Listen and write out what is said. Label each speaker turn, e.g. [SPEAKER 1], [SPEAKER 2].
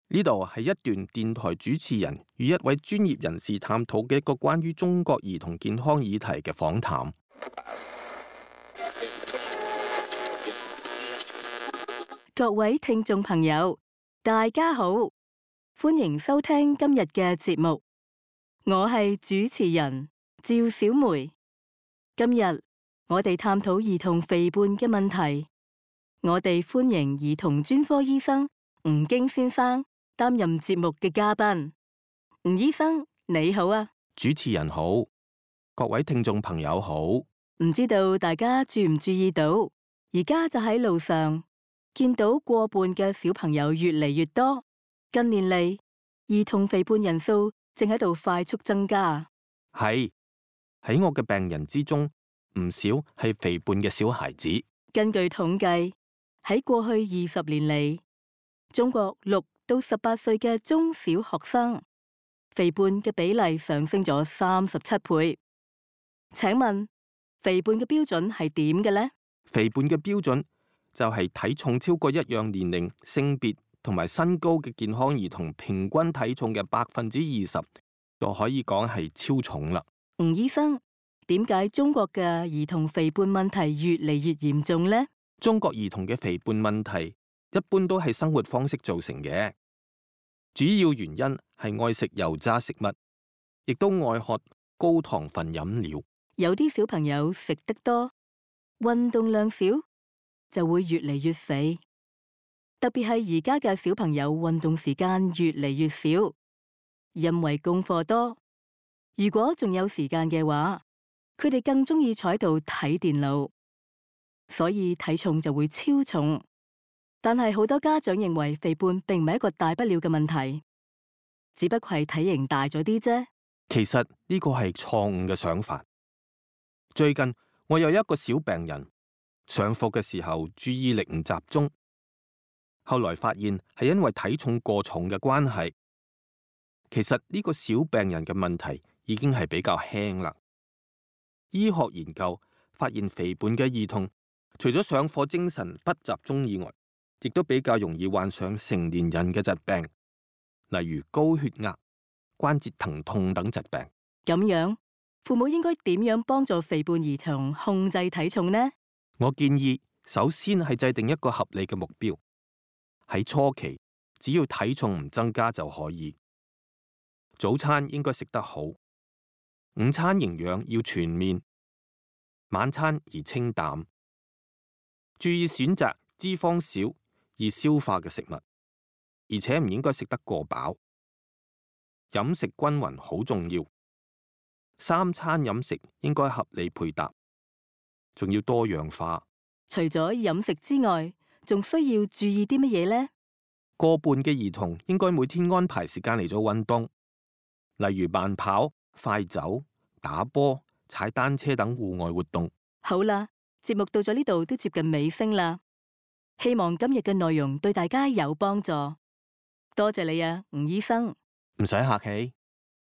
[SPEAKER 1] 呢度係一段電台主持人與一位專業人士探討嘅一個關於中國兒童健康議題嘅訪談。
[SPEAKER 2] 各位聽眾朋友，大家好，歡迎收聽今日嘅節目。我係主持人趙小梅。今日我哋探討兒童肥胖嘅問題。我哋歡迎兒童專科醫生吳京先生擔任節目嘅嘉賓。吳醫生你好啊。
[SPEAKER 1] 主持人好，各位聽眾朋友好。
[SPEAKER 2] 唔知道大家注唔注意到，而家就喺路上見到過半嘅小朋友越嚟越多。近年嚟，兒童肥胖人數正喺度快速增加。
[SPEAKER 1] 係，喺我嘅病人之中，唔少係肥胖嘅小孩子。
[SPEAKER 2] 根據統計，喺過去20年嚟，中國6到18歲嘅中小學生肥胖嘅比例上升咗37倍。請問肥胖嘅標準係點嘅呢？
[SPEAKER 1] 肥胖嘅標準就係體重超過一樣年齡、性別同埋身高嘅健康兒童平均體重嘅20%，就可以講係超重啦。
[SPEAKER 2] 吳醫生，點解中國嘅兒童肥胖問題越嚟越嚴重呢？
[SPEAKER 1] 中國兒童嘅肥胖問題一般都係生活方式造成嘅，主要原因係愛食油炸食物，亦都愛喝高糖分飲料。
[SPEAKER 2] 有啲小朋友食得多，運動量少，就會越嚟越肥。特別係而家嘅小朋友運動時間越嚟越少，因為功課多。如果仲有時間嘅話，佢哋更鍾意坐喺度睇電腦，所以體重就會超重。但係好多家長認為肥胖並唔係一個大不了嘅問題，只不過係體型大咗啲啫。
[SPEAKER 1] 其實呢個係錯誤嘅想法。最近我有一個小病人，上課嘅時候注意力唔集中，後來發現係因為體重過重嘅關係。其實呢個小病人嘅問題已經係比較輕啦。醫學研究發現，肥胖嘅兒童除咗上課精神不集中以外，亦都比較容易患上成年人嘅疾病，例如高血壓、關節疼痛等疾病。
[SPEAKER 2] 咁樣，父母應該點樣幫助肥胖兒童控制體重呢？
[SPEAKER 1] 我建議首先係制定一個合理嘅目標，喺初期只要體重唔增加就可以。早餐應該食得好，午餐營養要全面，晚餐宜清淡，注意選擇脂肪少、易消化嘅食物，而且唔應該食得過飽。飲食均勻好重要，3餐飲食應該合理配搭，仲要多樣化。
[SPEAKER 2] 除咗飲食之外，仲需要注意啲乜嘢呢？
[SPEAKER 1] 過半嘅兒童應該每天安排時間嚟做運動，例如慢跑、快走、打波、踩單車等戶外活動。
[SPEAKER 2] 好啦，節目到咗呢度都接近尾聲啦。希望今日嘅內容對大家有幫助。多謝你啊，吳醫生。
[SPEAKER 1] 唔使客氣。